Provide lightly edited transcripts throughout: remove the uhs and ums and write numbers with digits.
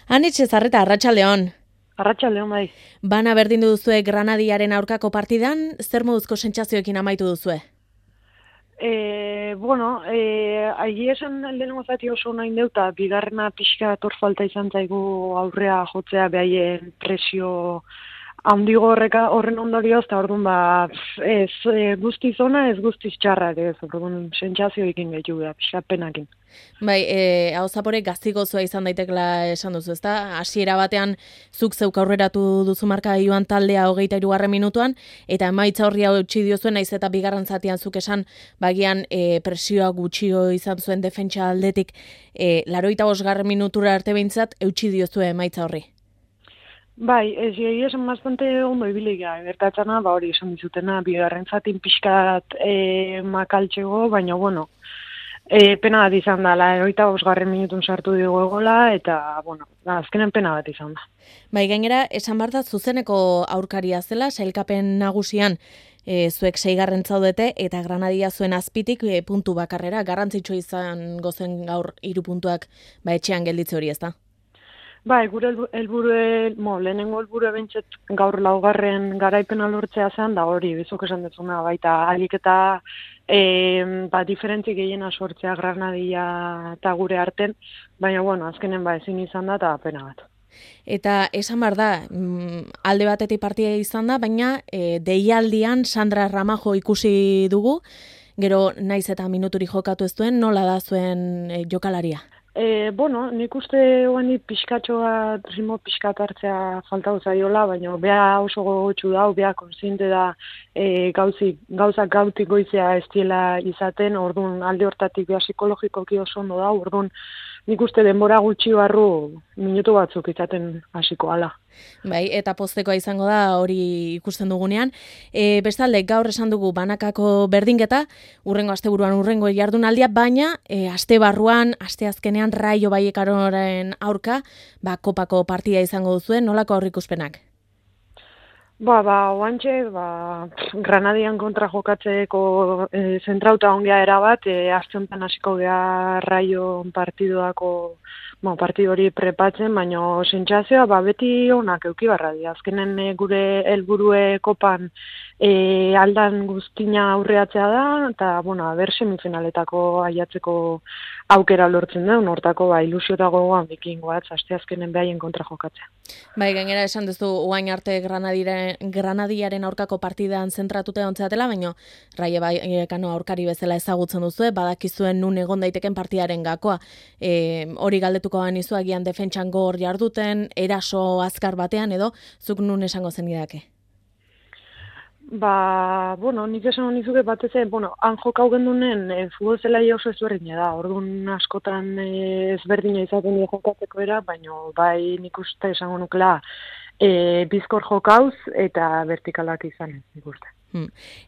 Anitxe Zarreta, Arratsaldeon. Arratsaldeon bai. Bana berdindu duzue Granadiaren aurkako partidan, zer moduzko sentsazioekin amaitu duzue? Aigi esan lehenengo zati oso nahi deuta, bigarrena pixka falta izan zaigu aurrea jotzea behaien presio handigo horren ondorioz, eta orduan ez guztiz ona, ez guztiz txarra ere, ez orduan sentsazioekin gehiago da, pixka penakin. Bai, hau zapore gaztigozua izan daitekla esan duzu, ezta? Hasiera batean zuk zeuk aurreratu duzu marka joan taldea 23. minutuan, eta emaitza horri hautsi diozuen, naiz eta bigarren zatian zuk esan, bagian presioa gutxio izan zuen defentsa aldetik, 85. minutura arte behintzat, eutsi diozue emaitza horri. Bai, esan bastante ondo ibilia, gertatzena, hori esan dizutena, bigarren zatin pixkat makaltxego, baina, bueno, pena bat izan da, 85. minutun sartu dugu egola, eta, azkenen pena bat izan da. Bai, gainera, esan behar da zuzeneko aurkaria zela, sailkapen nagusian zuek 6. zaudete, eta Granadia zuen azpitik puntu bakarrera, garrantzitsu izan gozen gaur 3 puntuak etxean gelditze hori, ezta? Bai, gure lehenengo helburua bentsat gaur 4. garaipena lortzea zen, da hori, bizok esan dezuna, baita alik eta diferentzi gehiena sortzea Granadia eta gure arten, baina, azkenen ezin izan da, eta pena bat. Eta esan behar da, alde batetik partia izan da, baina deialdian Sandra Ramajo ikusi dugu, gero naiz eta minuturi jokatu ez duen, nola da zuen jokalaria? Nik uste guani pixkatxoa, ritmo pixkat hartzea faltau zaiola, baina beha oso gogotxu da, beha konsiente da gauzak gautik goizea ez diela izaten, orduan alde hortatik beha psikologikoki oso ondo da, orduan nik uste denbora gutxi barru minutu batzuk izaten hasiko ala. Bai, eta poztekoa izango da hori ikusten dugunean. Bestalde, gaur esan dugu banakako berdinketa, urrengo asteburuan urrengo jardunaldia, baina aste barruan, aste azkenean Raio Vallecanoren aurka, kopako partida izango duzuen, nolako aurrikuspenak? Oantxe, Granadian kontra jokatzeko zentrauta ongea erabat, aste honetan hasiko gea Raio partiduako partidu hori prepatzen, baina sentsazioa beti onak euki barra dira. Azkenen gure helburue kopan aldan guztina aurreatzea da, eta aber semifinaletako aiatzeko aukera lortzen da, hortako ilusio gogoan bikin goatz, aste azkenen behaien kontra jokatzea. Bai, gainera esan duzu oain arte Granadiaren aurkako partidan zentratuta ontzeatela, baina Raio Vallecano aurkari bezala ezagutzen duzu, badakizuen nun egon daiteken partidaren gakoa. Hori galdetuko banizu agian defentsan gor jarduten, eraso azkar batean edo, zuk nun esango zenidake? Nik esan nizuke batez, han jokau gendunen futbol zelaia oso ezberdina da, orduan askotan ezberdina izaten dira jokatzeko era, baina nik uste esango nukela bizkor jokauz eta vertikalak izan, nik uste.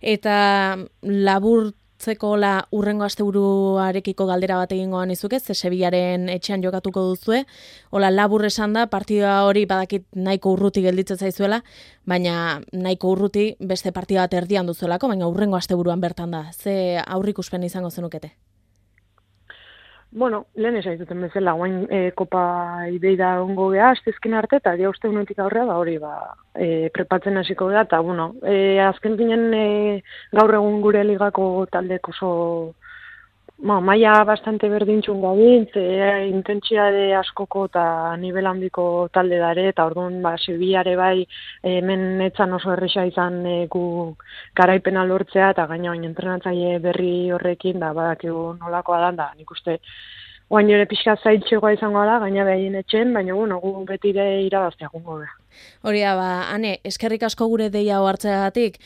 Eta laburtzeko urrengo asteburuarekiko galdera bat egingoan izuke, ze Sevillaren etxean jokatuko duzue, labur esan da, partida hori badakit nahiko urruti gelditzen zaizuela, baina nahiko urruti beste partida bat erdian duzuelako, baina urrengo asteburuan bertan da. Ze aurrikuspen izango zenukete? Lehen esaituten bezala, guain kopa ibeida ongo geha, astezken arte, eta dia uste unetik aurrea, hori prepatzen hasiko geha, eta azken ginen gaur egun gure ligako taldek oso maila bastante berdintxun gabintz, intentsiade askoko eta nivel handiko talde dare, eta orduan Sevillare hemen etzan oso erresa izan gu garaipena lortzea, eta gaina entrenatzaile berri horrekin, badakigu nolakoa da, nik uste oain ere pixka zaitxegoa izango da, gaina behaien etxen, baina gu betire irabaztea gungo da. Hori da, Ane, eskerrik asko gure deia hartzeagatik,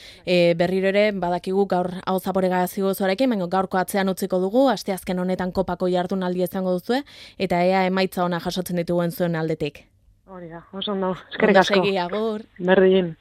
berriro ere, badakigu gaur hau zapore gazigo zuarekin, baina gaurko atzean utziko dugu, asteazken honetan kopako jardunaldia izango duzue, eta ea emaitza ona jasotzen dituen zuen aldetik. Hori da, oso ondo, eskerrik asko. Ondo segi, agur. Berdin.